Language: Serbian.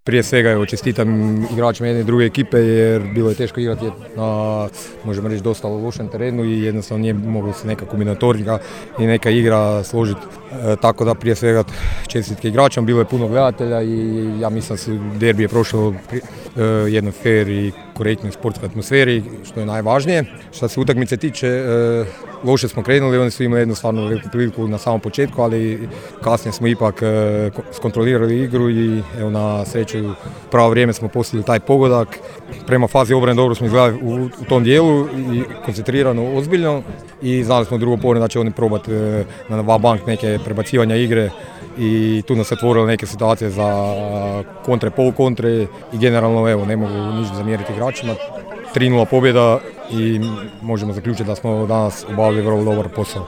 Prije svega evo, čestitam igračima jedne i druge ekipe jer bilo je teško igrati na, možemo reći, dosta lošem terenu i jednostavno nije moglo se neka kombinatorika i neka igra složiti. Tako da prije svega čestitke igračima, bilo je puno gledatelja i ja mislim da se derbi je prošao jednoj fair i korektnoj sportskoj atmosferi, što je najvažnije. Što se utakmice tiče, loše smo krenuli, oni su imali jednostavno veliku priliku na samom početku, ali kasnije smo ipak skontrolirali igru i evo, na sreću pravo vrijeme smo postigli taj pogodak. Prema fazi obrane dobro smo izgledali u tom dijelu i koncentrirano, ozbiljno i znali smo drugo povreme da će oni probati na va-bank neke prebacivanja igre i tu nas se otvorile neke situacije za kontre, polukontre i generalno evo, ne mogu ništa zamjeriti igračima. 3:0 pobjeda i možemo zaključiti da smo danas obavili vrlo dobar posao.